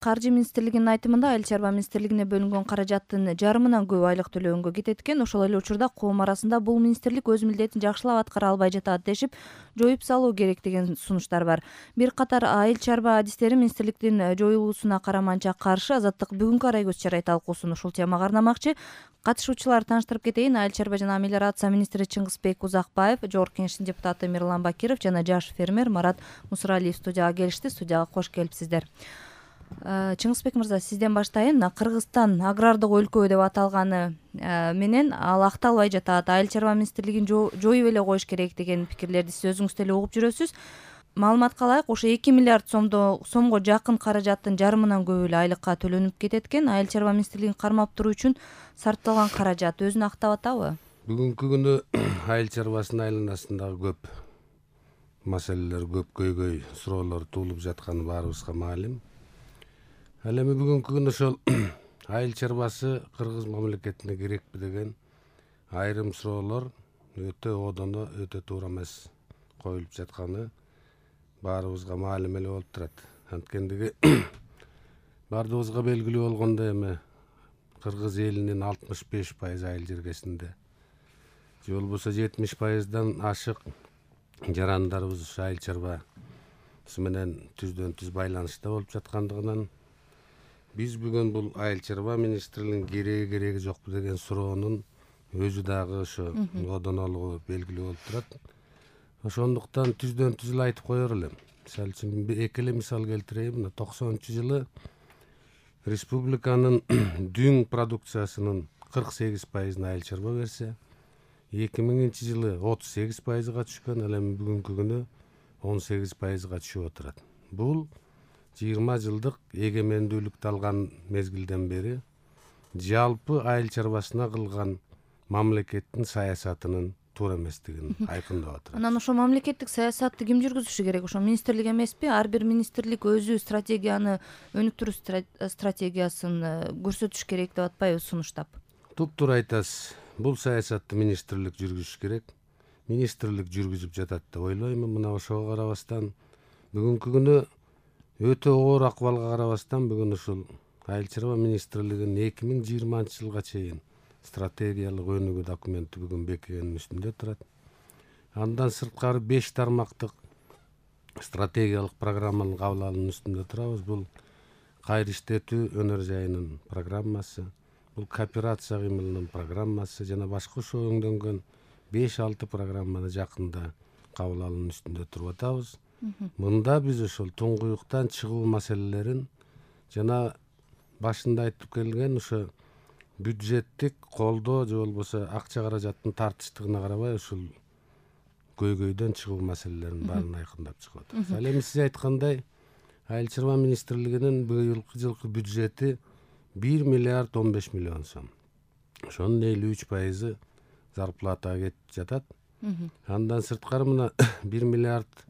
Каржы министрлигинин айтымында Айыл чарба министрлигине бөлүнгөн каражаттын жарымынан көбү айлык төлөгөнгө кетет экен. Ошол эле учурда коом арасында бул министрлик өз милдетин жакшылап аткара албай жатат дешип, жоюп салуу керек деген сунуштар бар. Бир катар айыл чарба адистери министрликтин жоюлуусуна караманча каршы. Азаттык бүгүнкү арай көз чарай талкуусун ушул темага арнамакчы. Катышуучулар тааныштырып кетейин. Айыл чарба жана мелиорация министри Чыңгызбек Узакбаев, Жогорку Кеңештин депутаты Мирлан Бакиров жана жаш фермер Марат Мусуралиев студияга келишти. Студияга кош келипсиздер. Чыңгызбек мырза, сизден баштайын. Кыргызстан агрардык өлкө деп аталганы менен ал акталбай жатат. Айыл чарба министрлигин жоюп эле коюш керек деген пикирлерди сиз өзүңүз деле угуп жүрөсүз. Маалыматка ылайык, ошо 2 миллиард сомго жакын каражаттын жарымынан көбү эле айлыкка төлөнүп кетет экен. Айыл чарба министрлигин кармап туруу үчүн сарпталган каражат өзүн актап атабы? Бүгүнкү күнү айыл чарбасынын айланасындагы көп маселелер, көп көйгөй суроолор туулуп жатканы баарыбызга маалым. Ал эми бүгүнкү күнү ошол айыл чарбасы кыргыз мамлекетине керекпи деген айрым суроолор өтө одоно, өтө туура эмес коюлуп жатканы баарыбызга маалым эле болуп турат. Анткендиги баардыгыбызга белгилүү болгондой эми кыргыз элинин 65% айыл жергесинде, же болбосо 70%дан ашык жарандарыбыз ушу айыл чарбасы менен түздөн түз байланышта болуп жаткандыгынан биз бүгүн бул айыл чарба министрлигинин кереги жокпу деген суроонун өзү дагы ошо одонолугу белгилүү болуп турат. Ошондуктан түздөн түз эле айтып коер элем. Мисалы үчүн эки эле мисал келтирейин. Мына 90-жылы республиканын дүң продукциясынын 48%-ын айыл чарба берсе, 2000-жылы 38%-га түшкөн, ал эми бүгүнкү күнү 18%-га түшүп отурат. Бул 20 жылдык эгемендүүлүктү алган мезгилден бери жалпы айыл чарбасына кылган мамлекеттин саясатынын туура эместигин айкындап атат. Анан ошо мамлекеттик саясатты ким жүргүзүшү керек? Ошо министрлик эмеспи? Ар бир министрлик өзү стратегияны, өнүктүрүү стратегиясын көрсөтүш керек деп атпайбы сунуштап? Туптуура айтасыз. Бул саясатты министрлик жүргүзүш керек. Министрлик жүргүзүп жатат деп ойлоймун. Мына ошого карабастан бүгүнкү күнү өтө оор акыбалга карабастан бүгүн ушул айыл чарба министрлигинин 2020-жылга чейин стратегиялык өнүгүү документи бүгүн бекигенин үстүндө турат. Андан сырткары 5 тармактык стратегиялык программанын кабыл алуунун үстүндө турабыз. Бул кайра иштетүү өнөр жайынын программасы, бул кооперация кыймылынын программасы жана башка ошо өңдөнгөн 5-6 программаны жакында кабыл алуунун үстүндө туруп атабыз. Мында биз ошол туңгуюктан чыгуу маселелерин жана башында айтып келген ошо бюджеттик колдоо же болбосо акча каражаттын тартыштыгына карабай ушул көйгөйдөн чыгуу маселелерин баарын айкындап чыгып атабыз. Ал эми сиз айткандай айыл чарба министрлигинин быйылкы жылкы бюджети 1 миллиард 15 миллион сом. Ошонун 53% зарплатага кетип жатат. Андан сырткары мына 1 миллиард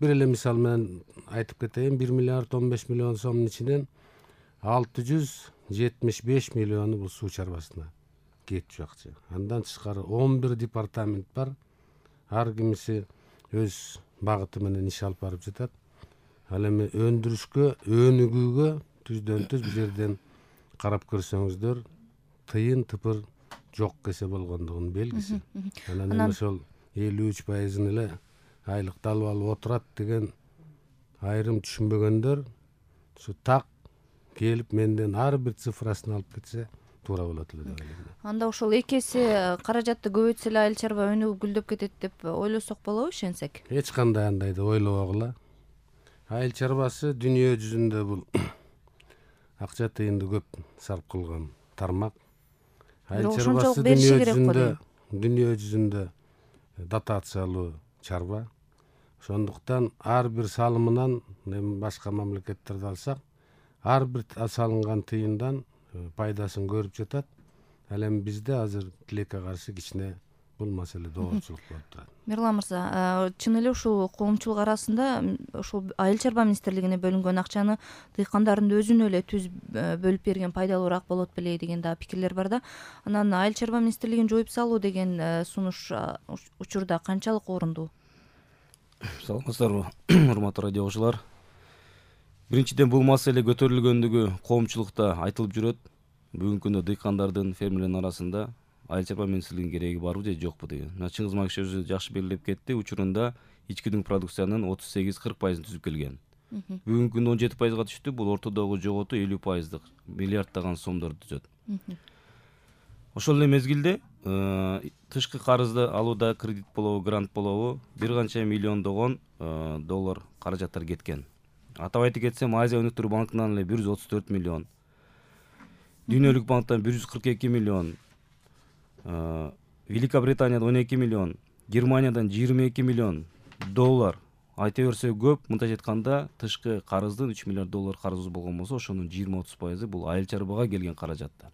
бир эле мисал менен айтып кетейин. 1 миллиард 15 миллион сомдун ичинен 675 миллиону бул суу чарбасына кетчү акча. Андан тышкары 11 департамент бар. Ар кимиси өз багыты менен иш алып барып жатат. Ал эми өндүрүшкө, өнүгүүгө түздөн түз бул жерден карап көрсөңүздөр тыйын тыпыр жок кесе болгондугунун белгиси. Анан ошол 53%-ын эле айлыкты алып алып отурат деген айрым түшүнбөгөндөр ушу так келип менден ар бир цифрасын алып кетсе туура болот эле деп ойлойм. Анда ошол эки эсе каражатты көбөйтсө эле айыл чарба өнүгүп гүлдөп кетет деп ойлосок болобу ишенсек? Эч кандай андай деп ойлобогула. Айыл чарбасы дүйнө жүзүндө бул акча тыйынды көп сарп кылган тармак. Айыл чарбасы дүйнө жүзүндө дотациялуу чарба. Ошондуктан ар бир салымынан, эми башка мамлекеттерди алсак, ар бир салынган тыйындан пайдасын көрүп жатат. Ал эми бизде азыр тилекке каршы кичине бул маселе доорчулук болуп турат. Мирлан мырза, чын эле ушул коомчулук арасында ушул айыл чарба министрлигине бөлүнгөн акчаны дыйкандардын өзүнө эле түз бөлүп берген пайдалуураак болот беле деген да пикирлер бар да. Анан айыл чарба министрлигин жоюп салуу деген сунуш учурда канчалык орундуу? Саламатсыздарбы, урматтуу радио угуучулар. Биринчиден бул маселе көтөрүлгөндүгү коомчулукта айтылып жүрөт. Бүгүнкү күндө дыйкандардын, фермерлердин арасында айыл чарба министрлигинин кереги барбы же жокпу деген. Чыңгыз Макиш өзү жакшы белгилеп кетти. Учурунда ички дүң продукциянын 38-40% түзүп келген. Бүгүнкү күндө 17%га түштү. Бул ортодогу жоготу 50% миллиарддаган сомдорду түзөт. Ошол эле мезгилде тышкы карызды алууда кредит болобу, грант болобу бир канча миллиондогон доллар каражаттар кеткен. Атап айтып кетсем, Азия өнүктүрүү банкынан эле 134 миллион, Дүйнөлүк банктан 142 миллион, Великобританиядан 12 миллион, Германиядан 22 миллион доллар. Айта берсе көп, мынтип айтканда тышкы карыздын 3 миллиард доллар карызы болгон болсо, ошонун 20-30% бул айыл чарбага келген каражаттар.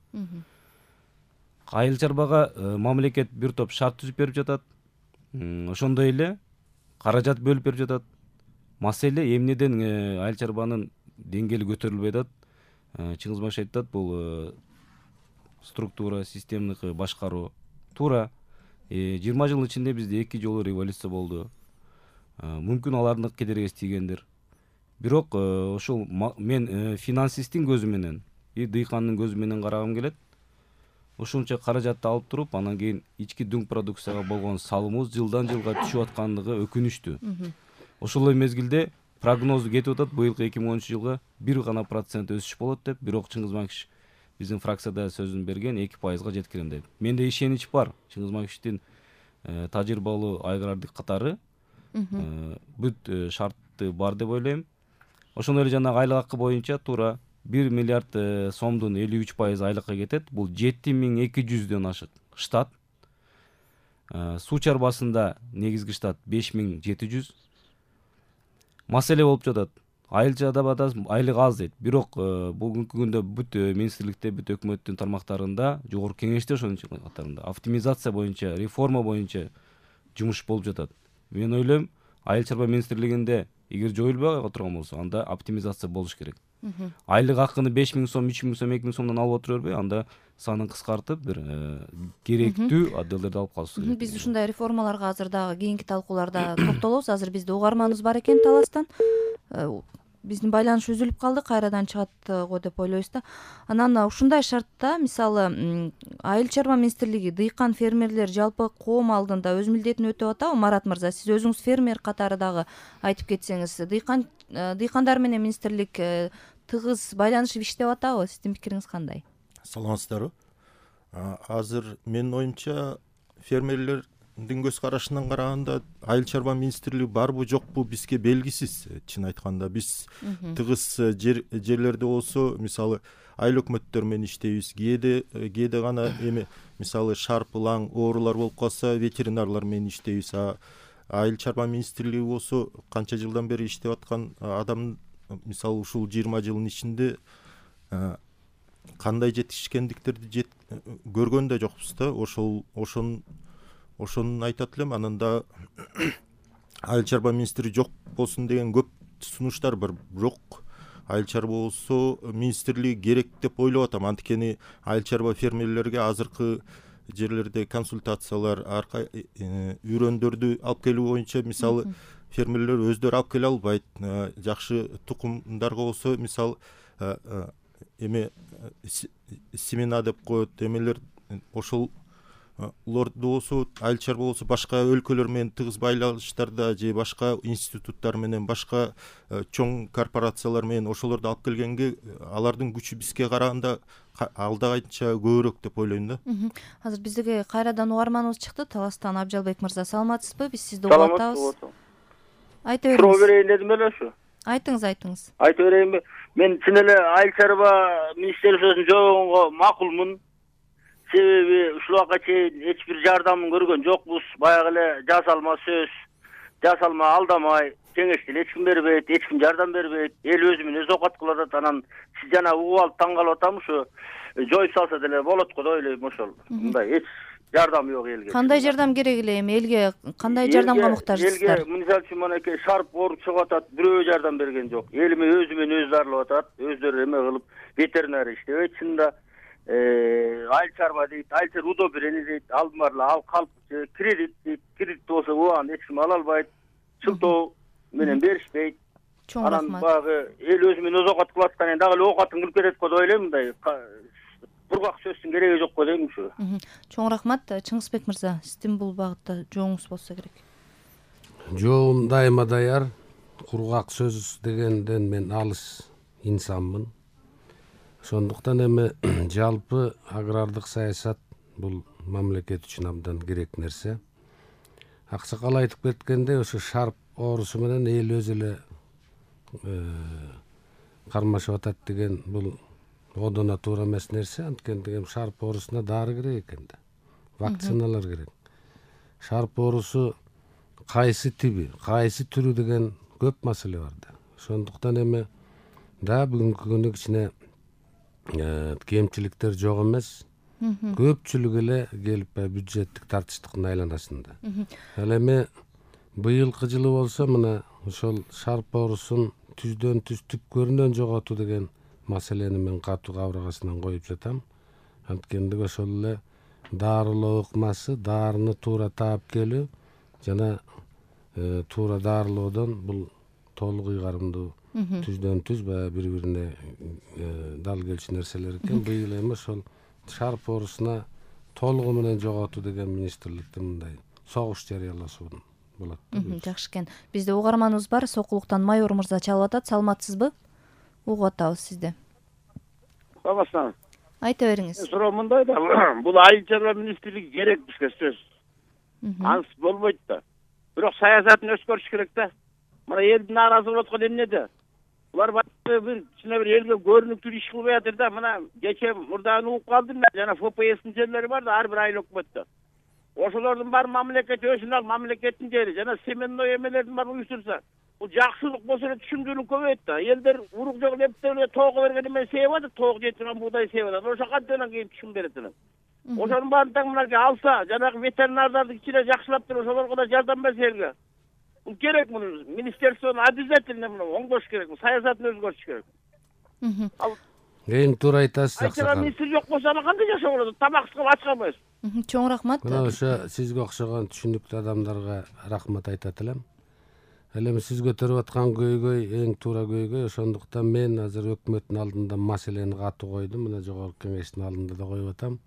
Айыл чарбага мамлекет бир топ шарт түзүп берип жатат. Ошондой эле каражат бөлүп берип жатат. Маселе эмнеден айыл чарбанын деңгээли көтөрүлбөй атат? Чыңгыз Макиш айтат, бул структура, системдик башкаруу. Туура. 20 жылдын ичинде бизде 2 жолу революция болду. Мүмкүн алардын кедергиси тийгендир. Бирок ошол мен финансисттин көзү менен, дыйкандын көзү менен карагым келет. Ушунча каражатты алып туруп, анан кийин ички дүң продукцияга болгон салымыбыз жылдан жылга түшүп аткандыгы өкүнүчтүү. Ошол эле мезгилде прогнозу кетип атат, быйылкы 2013 жылга 1% өсүш болот деп, бирок Чыңгыз Макиш биздин фракцияда сөзүн берген 2%га жеткирем деп. Менде ишенич бар. Чыңгыз Макиштин тажрыйбалуу агрардык катары бүт шартты бар деп ойлойм. Ошондой эле жанагы айлык акы боюнча туура 1 миллиард сомдун 53% айлыкка кетет. Бул 7200дөн ашык штат. Суу чарбасында негизги штат 5700. Маселе болуп жатат. Айыл чарбада айлык аз дейт. Бирок бүгүнкү күндө бүт министрликте, бүт өкмөттүн тармактарында, жогорку кеңеште ошонун катарында оптимизация боюнча, реформа боюнча жумуш болуп жатат. Мен ойлойм, айыл чарба министрлигинде эгер жоюлбай отурган болсо, анда оптимизация болуш керек. Айлык акыны 5000 сом, 3000 сом, 2000 сомдон алып отура бербей, анда санын кыскартып, бир керектүү отделдерди алып калыш керек. Биз ушундай реформаларга азыр дагы кийинки талкууларда токтолобуз. Азыр бизде угарманыбыз бар экен Таластан. Биздин байланыш үзүлүп калды, кайрадан чыгат го деп ойлойбуз да. Анан ушундай шартта, мисалы, айыл чарба министрлиги, дыйкан, фермерлер жалпы коом алдында өз милдетин өтөп атабы? Марат мырза, сиз өзүңүз фермер катары дагы айтып кетсеңиз, дыйкандар менен министрлик тыгыз байланышып иштеп атабы? Сиздин пикириңиз кандай? Саламатсыздарбы? Азыр менин оюмча фермерлердин көз карашынан караганда айыл чарба министрлиги барбы жокпу бизге белгисиз. Чын айтканда биз тыгыз жерлерде болсо, мисалы айыл өкмөттөр менен иштейбиз. Кээде гана эми мисалы шарпылаң оорулар болуп калса ветеринарлар менен иштейбиз. Айыл чарба министрлиги болсо канча жылдан бери иштеп аткан адам, мисалы ушул 20 жылдын ичинде кандай жетишкендиктерди көргөн да жокпуз да. Ошону айтат элем. Анан да айыл чарба министри жок болсун деген көп сунуштар бар. Бирок айыл чарба болсо министрлиги керек деп ойлоп атам. Анткени айыл чарба фермерлерге азыркы жерлерде консультациялар, үйрөндөрдү алып келүү боюнча, мисалы фермерлер өздөрү алып келе албайт. Жакшы тукумдарга болсо, мисалы семена деп коет, эмелер ошол лорду болсо, айыл чарба болсо башка өлкөлөр менен тыгыз байланыштарда же башка институттар менен, башка чоң корпорациялар менен ошолорду алып келгенге алардын күчү бизге караганда алдагача көбүрөөк деп ойлойм да. Азыр биздеги кайрадан угарманыбыз чыкты. Таластан Абжалбек мырза, саламатсызбы? Биз сизди угуп атабыз. Айта бериңиз. Суроо берейин дедим эле ушу. Айтыңыз. Айта берейинби? Мен чын эле айыл чарба министрлигинин жогонго макулмун. Себеби ушул убакка чейин эч бир жардамын көргөн жокпуз. Баягы эле жасалма сөз, жасалма алдамай, кеңешти эч ким бербейт, эч ким жардам бербейт. Эл өзү менен өз окат кылып атат. Анан сиз жана угуп алып таң калып атам, ушу жоюп салса деле болот го деп ойлойм. Ошол мындай эч жардам жок элге. Кандай жардам керек эле? Эми элге кандай жардамга муктажсыздар? Элге мисалы үчүн монакей шарп ооруп чыгып атат, бирөө жардам берген жок. Элиме өзү менен өзү дарылап атат, өздөрү эме кылып, ветеринарий иштебейт. Чынында айыл чарба дейт, айыл чарба удобрение дейт, алдымарла ал калп кредит дейт. Кредит болсо убагында эч ким ала албайт. Шылтоо менен беришпейт. Чоң анан рахмат. баягы эл өзү менен оокат кылып аткан дагы эле оокатын кылып берет го деп ойлойм. Мындай бургак сөздүн кереги жок го дейм ушу. Чоң рахмат. Чыңгызбек мырза, сиздин бул багытта жооңуз болсо керек. Жоом дайыма даяр. Кургак сөз дегенден мен алыс инсанмын. Ошондуктан эми жалпы агрардык саясат бул мамлекет үчүн абдан керек нерсе. Аксакал айтып кеткендей, ошо шарп оорусу менен эл өзү эле кармашып атат деген бул одоно туура эмес нерсе. Анткени шарп оорусуна дары керек экен да. Вакциналар керек. Шарп оорусу кайсы тиби, кайсы түрү деген көп маселе бар да. Ошондуктан эми да бүгүнкү күнү кичине кемчиликтер жок эмес. Көпчүлүк эле келип бюджеттик тартыштыктын айланасында. Ал эми быйылкы жылы болсо мына ошол шарп оорусун түздөн түз түпкөрүнөн жоготуу деген маселени мен катуу кабыргасынан коюп жатам. Анткени ошол эле дарылоо ыкмасы, дарыны туура таап келүү жана туура дарылоодон бул толук ыйгарымдуу түздөн түз баягы бири бирине дал келчү нерселер экен. Быйыл эми ошол шарп оорусуна толугу менен жоготуу деген министрликтин мындай согуш жарыялашуу болот. Жакшы экен. Бизде угарманыбыз бар. Сокулуктан майор мырза чалып атат. Саламатсызбы? Угуп атабыз сизди. Саламатсызбы? Айта бериңиз. Суроо мындай да, бул айыл чарба министрлиги керек бизге сөз. Ансыз болбойт да. Бирок саясатын өзгөртүш керек да. Мына элдин нааразы болуп аткан эмнеде? Булар бир кичине бир элге көрүнүктүү иш кылбай атыр да. Мына кече мурдагы угуп калдым мен. Жана ФПСтин жерлери бар да, ар бир айыл өкмөттө. Ошолордун баары мамлекет өзүнүн ал мамлекеттин жери жана семенной эмелердин баары уюштурса, бул жакшылык болсо эле түшүмдүүлүк көбөйөт да. Элдер урук жок эптеп эле тоого берген эме сееп атат, тоого жетип турган буудай сееп атат. Ошо кантип кийин түшүм берет эле. Ошонун баарын таң мынакей алса, жанагы ветеринардарды кичине жакшылап туруп ошолорго да жардам берсе элге. Бул керек, муну министерствону обязательно оңдош керек, саясатын өзгөртүш керек. Эң туура айтасыз. Айчара министр жок болсо аны кандай жашоо болот? Тамаксыз кылып ач калбайбыз. Чоң рахмат. Мына ошо сизге окшогон түшүнүктүү адамдарга рахмат айтат элем. Ал эми сиз көтөрүп аткан көйгөй эң туура көйгөй. Ошондуктан мен азыр өкмөттүн алдында маселени катуу койдум. Мына жогорку кеңештин алдында да коюп атам.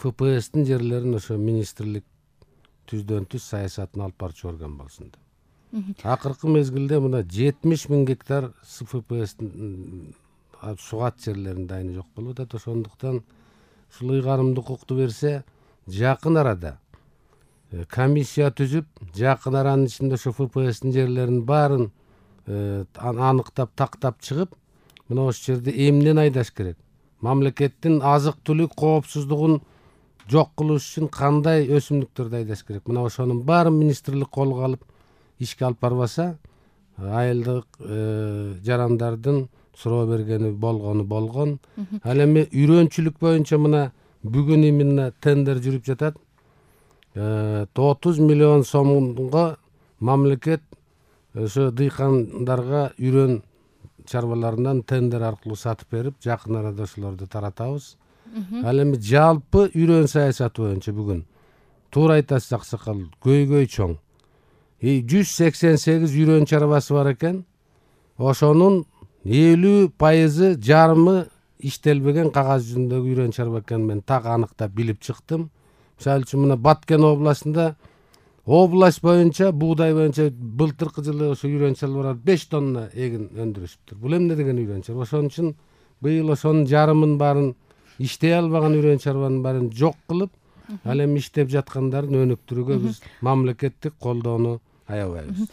ФПСтин жерлерин ошо министрлик түздөн түз саясатын алып барчу орган болсун деп. Акыркы мезгилде мына 70.000 гектар ФПСтин сугат жерлерин дайыны жок болуп атат. Ошондуктан ушул ыйгарымдуу укукту берсе, жакын арада комиссия түзүп, жакын аранын ичинде ошо ФПСтин жерлеринин баарын аныктап, тактап чыгып, мына ошол жерде эмнени айдаш керек? Мамлекеттин азык-түлүк коопсуздугун жок кылыш үчүн кандай өсүмдүктөрдү айдаш керек? Мына ошонун баарын министрлик колго алып ишке алып барбаса, айылдык жарандардын суроо бергени болгон. Ал эми үйрөнчүлүк боюнча мына бүгүн именно тендер жүрүп жатат. 30 миллион сомго мамлекет ошо дыйкандарга үйрөн чарбаларынан тендер аркылуу сатып берип, жакын арада ошолорду таратабыз. Ал эми жалпы үйрөн саясаты боюнча бүгүн туура айтасыз аксакал, көйгөй чоң. 188 үйрөн чарбасы бар экен. Ошонун 50% жарымы иштелбеген кагаз жүзүндөгү үйрөн чарба экенин мен так аныктап билип чыктым. Мисалы үчүн мына Баткен областында область боюнча буудай боюнча былтыркы жылы ошо үйрөн чарбалар 5 тонна эгин өндүрүшүптүр. Бул эмне деген үйрөн чарба? Ошон үчүн быйыл ошонун жарымын баарын иштей албаган үйрөн чарбанын баарын жок кылып, ал эми иштеп жаткандарын өнүктүрүүгө биз мамлекеттик колдоону аябайбыз.